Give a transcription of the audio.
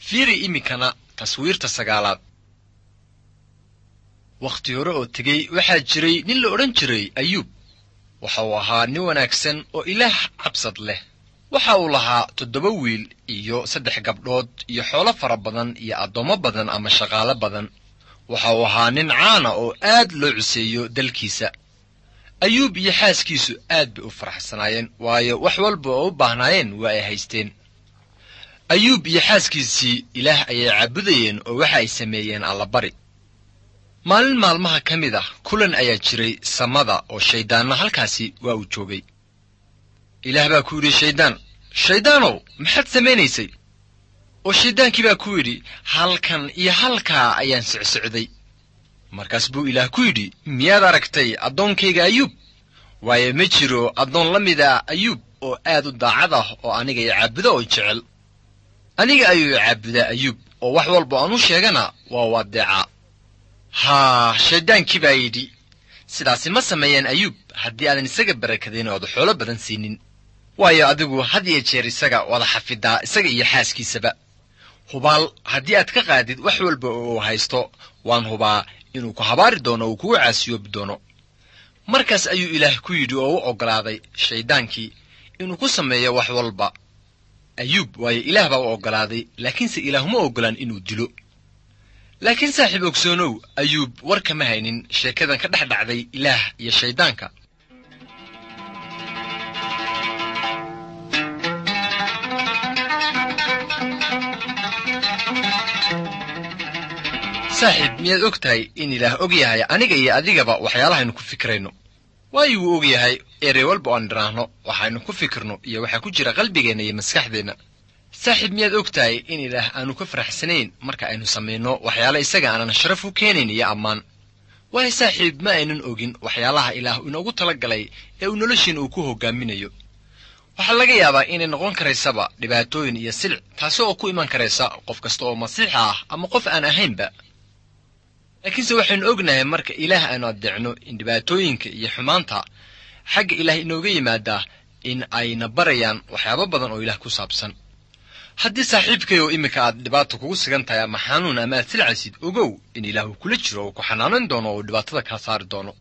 Fiiri iminkana taswiirta sagaalaad. Wakhti hore oo tegey waxaa jiray nin la odhan jiray Ayuub. Waxa uu ahaa nin wanaagsan oo Ilaah cabsad leh. Waxa uu lahaa 7 wiil iyo 3 gabdhood iyo xoolo fara badan iyo addoommo badan ama shaqaale badan. Waxa uu ahaa nin caana oo aad loo cuseeyo dalkiisa. Ayuub iyo xaaskiisu aad bay u faraxsanaayeen, waayo wax walba oo u baahnaayeen waa ay haysteen. Ayuub iyo xaaskiisii Ilaah ayay caabudayeen oo waxa ay sameeyeen allabari. Maalin maalmaha ka mid ah kulan ayaa jiray samada oo shayddaanna halkaasi waa uu joogay. Ilaah baa ku yidhi shayddaan, "Shayddaanow, maxaad samaynaysay?" Oo shayddaankii baa ku yidhi, "Halkan iyo halkaa ayaan socsocday." Markaas buu Ilaah ku yidhi, "Miyaad aragtay addoonkayga Ayuub? Waayo ma jiro addoon la mid ah Ayuub oo aad u daacad ah oo aniga i caabuda oo jecel. Aniga ayuu i caabudaa Ayuub, oo wax walba aan u sheegana waa u addeecaa." Haa, shayddaankii baa yidhi, "Sidaasi ma sameeyeen Ayuub haddii aadan isaga barakadayn oo aad xoolo badan siinin. Waayo adigu had iyo jeer isaga wada xafidaa, isaga iyo xaaskiisaba. Hubaal haddii aad ka qaadid wax walba oo uu haysto, waan hubaa inuu ku habaari doono oo uu kugu caasiyoobi doono." Markaas ayuu Ilaah ku yidhi oo u oggolaaday shayddaankii inuu ku sameeyo wax walba Ayuub, waayo Ilaah baa u oggolaaday, laakiinse Ilaah uma oggolaan inuu dilo. Laakiin saaxiib ogsoonow, Ayuub war kama haynin sheekadan ka dhex dhacday Ilaah iyo shayddaanka. Saaxiib, miyaad og tahay in Ilaah og yahay aniga iyo adigaba waxyaalahaynu ku fikirayno? Waayo wuu og yahay erey walba oan idhaahno, waxaynu ku fikirno iyo waxaa ku jira qalbigeenna iyo maskaxdeenna. Saaxiib, miyaad og tahay in Ilaah aanu ka faraxsanayn marka aynu samayno waxyaale isaga aanan sharaf u keenayn iyo ammaan? Waayo saaxiib, ma aynan ogin waxyaalaha Ilaah inoogu talagalay ee uu noloshiina uu ku hoggaaminayo. Waxaa laga yaabaa inay noqon karaysaba dhibaatooyin iyo silic, taasi oo ku iman karaysa qof kasta oo masiixa ah ama qof aan ahaynba. Laakiinse waxaynu ognahay marka Ilaah aanu addeecno in dhibaatooyinka iyo xumaanta xagga Ilaah inooga yimaadaa in ayna barayaan waxyaabo badan oo Ilaah ku saabsan. Haddii saaxiibkay oo iminka aad dhibaata kugu sigan tahay ama xanuun ama aad silcaysid, ogow in Ilaah uu kula jiro oo ku xanaanan doono oo uu dhibaatada kaa saari doono.